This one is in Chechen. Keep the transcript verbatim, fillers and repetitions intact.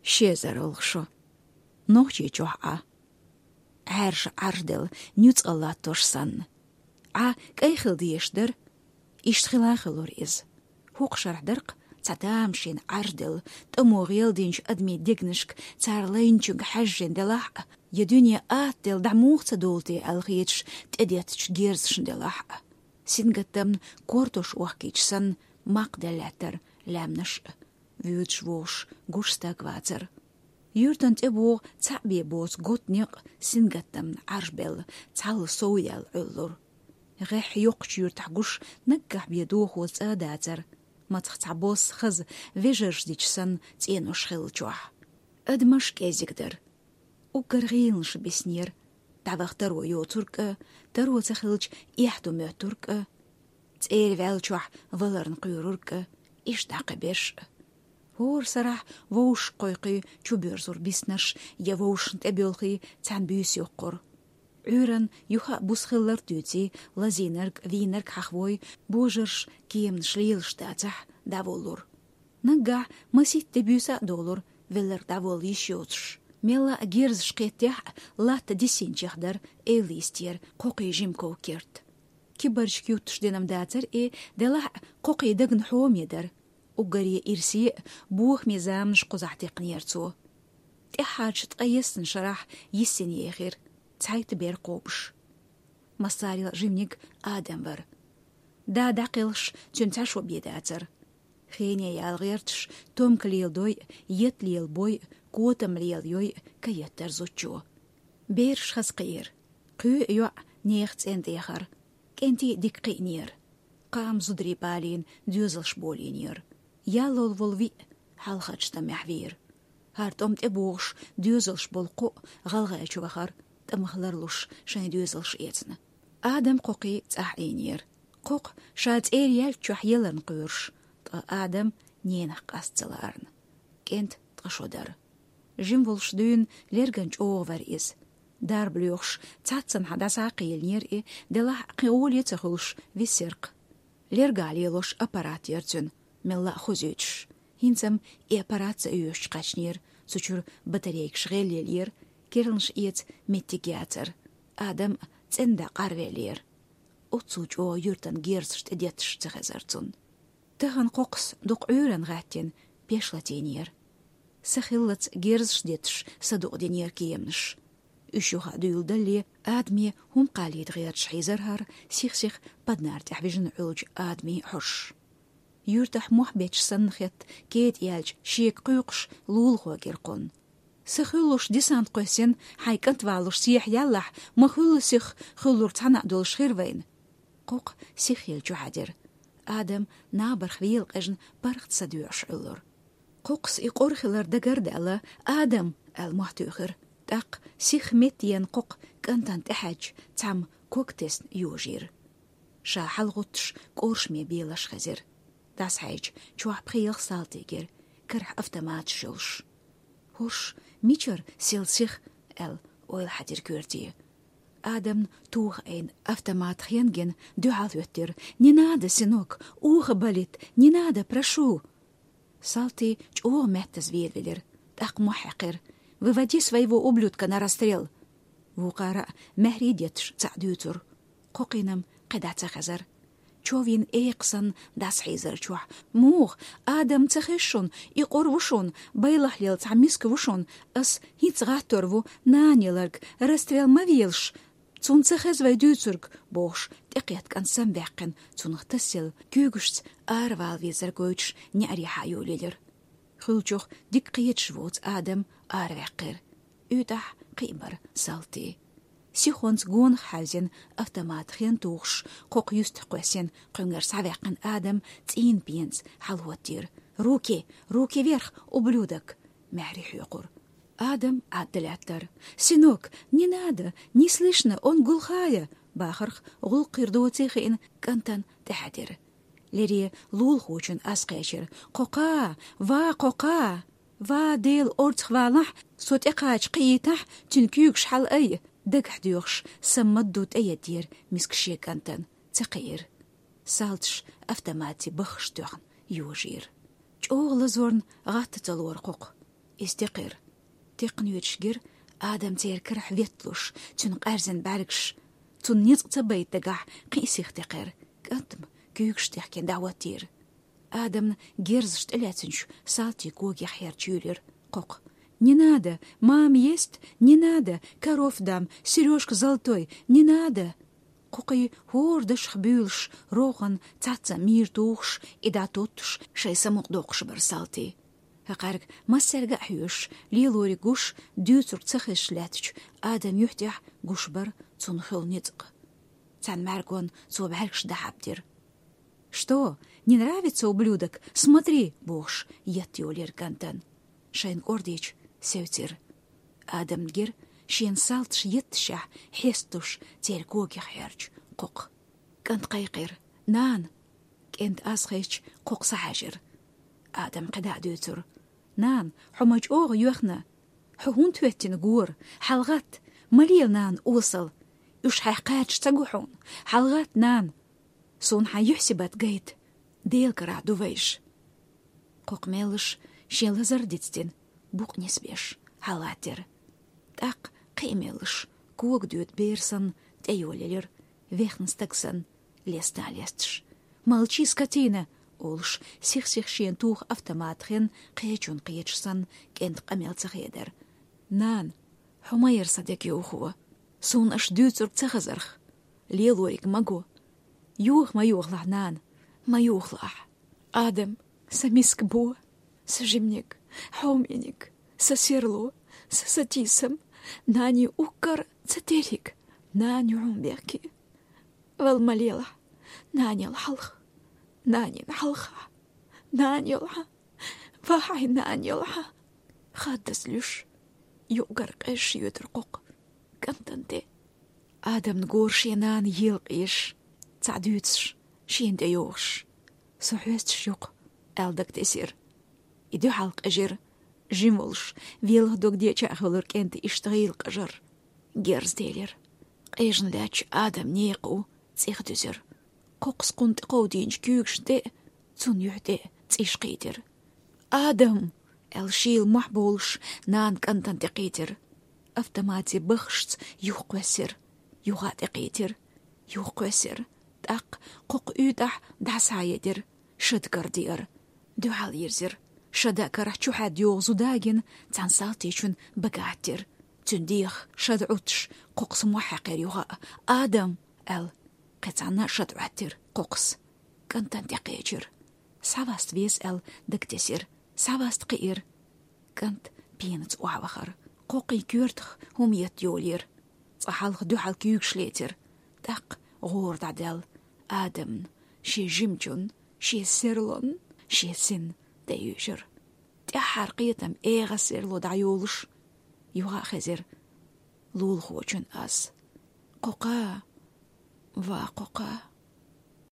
Шезар олхшо. Нохчийчохь Ӏа. Ӏаьржа Ӏарждел нуьцкъала латтош санна. Ӏа кӀай хила дезаш дара. Иштта хила а хилура иза. ХӀокху шарахь дарх цхьа тамашийна Ӏарждел, тӀамо гӀелдинчу адамийн дегнашка цара лайначуьнга хьаьжжина делахь а, я дуьне атта дела дӀа муха ца долу те аьлла хеташ тӀедеттачу герзашна делахь а. Сингаттамна кортош охкийча санна, макх делла лаьттара лаьмнаш а. Вуьйцуш вогӀуш гуш стаг вацара. Юьртан тӀебогӀу цхьаъ бен боцу готта некъ сингаттамна Ӏаржбелла, цхьалла сов яьлла Ӏуьллура. ГӀеххьа йоккхачу юьртахь гуш наггахь бен дохо цӀа а дацара, мацах цхьа босса хаза вежарша дича санна цӀенош хиллачохь. Адамаш кӀезиг дара. Уггар гӀийланаш биснера, дӀаваха таро йоцург а, таро ца хилча, эхь ду моьттург а, цӀера ваьллачохь валарна кхоьрург а, иштта дӀа кхин берш а. ХӀора сарахь вовшах кхойкхий чубоьрзура биснарш, я вовшашна тӀебоьлхий цхьаьна буьйса йоккхура. Ӏуьйранна юха а буса хилларг дуьйций, лазийнарг, вийнарг хьахавой, божарш кеманаш лелаш дацахь, дӀаволлура. Наггахь масийтта де буьйса а долура, велларг дӀаволла йиш йоцуш. Мелла а герзаш кхеттехь а, латта дисинчех дара эвла йистера кхокхий жима ков-керт. Кибарчиг юттуш динам дацара и, делахь а кхокхий дагна хьоме дара. Уггаре ирсе а, бохаме заманаш кхузахь текхнера цо. ТӀаьхьарчу ткъе ессана шарахь йиссина ехира, цхьайтта бер кхобуш. Массарел жиманиг Адам вара. Да дӀакхелхаш, цуьнан цхьа шо бен дацара. Хене яла гӀерташ, томка леладой а, етт лелабой а, котам лелайой а каеттара зудчо. Бераш хаза кхиира. Кхоъ а, йоӀ а нехан цӀен тӀе яхара. КӀентий дика кхиънера. Кхаам зударий балийна доьзалш болийнера. Яллал волу виъ хьалхарчу тӀамехь вийра. ХӀара тӀом тӀебогӀуш доьзалш болу кхоъ гӀалгӀайчу вахара, тӀамах ларлуш шайн доьзалш эцна. Адам кхокхий цӀахь Ӏийнера. Кхокху ша цӀера яьллачохь яларна кхоьруш, ткъа Адам ненах къаста ца лаарна. КӀентан ткъа шо дара. Жима волуш дуьйна лерган чӀогӀа вара иза. Дарба лоьхуш, цхьаццанхьа дӀасакхийлинера и, делахь а кхин гӀоле а ца хуьлуш, висира-кх. Лергахь лелош аппарат яра цуьнан, мелла а хозуьйтуш. ХӀинца-м и аппарат ца оьшучу кхаьчнера, цу чуьра батарейкаш гӀелъеллера, керланаш эца меттиг яцара. Адам цӀена дӀа къарвеллера. Оццул чӀогӀа юьртан герзаш тӀедетташ ца хезара цунна. Тахана кхокхас дукха Ӏуьйранна гӀаьттина пеш латийнера. Са хиллалц герзаш детташ садукъадинера кеманаш. Уьш юха а дуьйладалле, Адаме хӀума кхаллийта гӀерташ хьийзара хӀара сих-сиха паднар тӀехь вижина Ӏуьллучу Адамийн хьожуш. Юьртахь мохь бетташ санна хетта, кетӀа яьлча шега кхуьйкхуш, лулахо гира кхунна. Са хуьллуш десант кхоьссина, хьайн кӀант валлуш сехьа яллахь, ма хуьллу сих, хуьллург цхьана а долуш хир вайна. Кхокха сиххила чу хьаьдира. Адам набарх вела къежна паргӀат садоьӀуш Ӏуьллура. Кхокхас и къора хилар дагара а даьлла, «Адам!» аьлла мохь туьйхира. ТӀаккха сих меттаенна кхокха кӀантана тӀехьаьдча, цхьамма ког тесна йожийра. Ша хьалагӀуттуш кӀоршаме белаш хезира. ДӀасахьаьжча, чохь пхи ялх салти гира, карахь автоматаш йолуш. «ХӀорш мичара сел сих?» аьлла, ойла хьаьдира коьрте. Адамна туха айна автомат хен гина, дуьхьал хӀоьттира: «Не надо, сынок, ухо болит, не надо, прошу!» Салти чӀогӀа меттаза велавелира, тӀаккха мохь хьаькхира: «Выводи своего ублюдка на расстрел!» Вукхара а маьхьарий детташ цхьаъ дуьйцура. Кхокхина-м кхидӀа ца хезара. Човйина экха санна дӀасахьийзара чохь: «Муха, Адам ца хеза шуна, и къора ву шуна, байлахь лела цхьа миска ву шуна, ас хӀинца гӀаттор ву, нана яларг, расстрел ма велаш, цунна ца хеза вай дуьйцург», — бохуш, тӀекхетта кӀант самаваьккхина, цунах тасаелла куьйгашца аравала везар гойтуш неӀарехьа йолаелира. Хуьлучух дика кхеташ воцу Адам араваьккхира. УьйтӀахь кхин а бара салти. Сихонца гонах хьаьвзина, автомат хен тухуш, кхокха юьстах кхоьссина, кхуьнгара схьаваьккхина Адам цӀийнан пенца хьалахӀоттийра: «Руки! Руки вверх, ублюдок!» — маьхьарий хьоькхура. Адам Ӏадда лаьттара. «Сынок, не надо, не слышно, он глухая!» — бахарх гӀуллакх хир доций хиъна, кӀантана тӀехьаьдира. Лере лулахочун аз кхечира: «Кхокха! Ва, кхокха! Ва, Дела, орцах валахь, со тӀекхача кхиийтахь, цуьнан куьйгаш хьалаайа!» Дагахь доьхуш, саммадду тӀеяддера миска шен кӀантана, ца кхиира. Салташ автоматий баххаш тоьхна йожийра. ЧӀогӀа лазорна гӀатта ца лора кхокха. Иза текхира. Текхна йоьдуш гира Адам церан карахь ветталуш, цуьнан къаьрзина бӀаьргаш. Цунна ницкъ ца байта дагахь кхин а сиха текхира. КӀант-м куьйгаш тӀехкина дӀахӀоттийра. Адамна герзаш тӀелаьцначу салтийн когех хьерча йолийра кхокха. «Не надо! Мама ест! Не надо! Коров дам! Серёжка золотой! Не надо!» Кхокхий хӀора дашах буьйлуш, рогӀана цхьацца мийра тухуш, и дӀатоттуш, шайн самукъадоккхуш бара салтий. ХӀокхаьрга массаьрга а хьоьжуш, лелориг гуш, дуьйцург ца хезаш лаьттачу Адаман юьхь тӀехь гуш бара цунна хуьлу ницкъ. Цхьана мӀаьргонна цо бӀаьргаш дӀахьабдира. «Что, не нравится ублюдок? Смотри!» — бохуш, етта йолийра кӀантана. Шайна кӀордийча, севцира. Адамна гира шена салташ етташехь хьесталуш церан когех хьерча кхокха. КӀант кхайкхира: «Нана!» КӀентан аз хезча, кхокха схьахьаьжира. Адам кхидӀа а дуьйцура: «Нана, хьо ма чӀогӀа йоьхна! Хьо хӀунда хӀоьттина гора? ХьалагӀатта! Ма лела, нана, осал! Уьш хьайх кхача ца го хьуна? ХьалагӀатта, нана! Суна хьан юьхь-сибат гайта! Делан карахь ду вайша!» Кхокха меллаша шен лазар дицдина, букъ нисбеш, хьалагӀаттира. ТӀаккха кхин а меллаша, кога доьду бер санна, тӀейолаелира, вехна стаг санна, лестан лесташ. «Молчи, скотина!» — олуш, сих-сиха шена туху автомат хен кхечунна кхеташ санна, кӀентан къамел ца хедара. «Нана, хьо ма яра сан дегайовхо. Суна аша дуьйцург ца хазарх. Лелориг ма го. Йоха ма йохалахь, нана, ма йохалахь. Адам, сан миска бо, сан жиманиг, хьомениг, сан серло, сан сатийсам, нанин уггар цӀе терриг, нана ю хьуна бехке. Вала ма лелахь, нана яла хьалха, нанина хьалха, нана йолахь, вахьий, нана йолахь!» Хаддаза луьйш, юкъ-гар къежаш йоьдура кхокха кӀантана тӀе. Адамна гора шен нана елакъеш, цхьаъ дуьйцуш, шена тӀейогӀуш. «Со хьоьстуш ю-кх», — аьлла дагатесира. И дуьхьал къежира, жима волуш, велха дог деча а хуьлура кӀентан иштта гӀийла къажар. Герз делира. Къежна лаьттачу Адаман некъа у цӀих дуьзира. Кхокхас кхунна тӀекховдийначу куьйгашна тӀе а, цунна юьхь тӀе а цӀиш кхийтира. «Адам!» — аьлла, шийла мохь болуш, нана кӀантана тӀекхийтира. Автоматан баххашца юхакхоьссира, юха а тӀекхийтира, юхакхоьссира. ТӀаккха кхокха уьйтӀахь дӀа схьаедира, шада кара деара. Дуьхьал йирзира. Шадан карахь чухьаьдда йогӀу зуда а гина, цхьана салтичун бага хӀоттийра. Цуьнан дегӀах шада Ӏуттуш, кхокхас мохь хьаькхира юха а. «Адам!» — аьлла, кхин цхьанна а шада Ӏоттийра кхокхас. КӀантана тӀекхечира. «Схьаваста веза», — аьлла, дагатесира. Схьаваста кхиира. КӀант пенаца охьавахара. Кхокхин коьртах хӀума етта йолийра. Цкъа хьалха дуьхьал куьйгаш лецира. ТӀаккха гӀора дӀадаьлла. Адамна, шен жимачунна, шен серлонна, шен синна тӀеюьйжира. ТӀаьххьара кхетам эгӀаз серло дӀайолуш, юха а хезира лулахочун аз. «Кхокха! Ва кхокха!»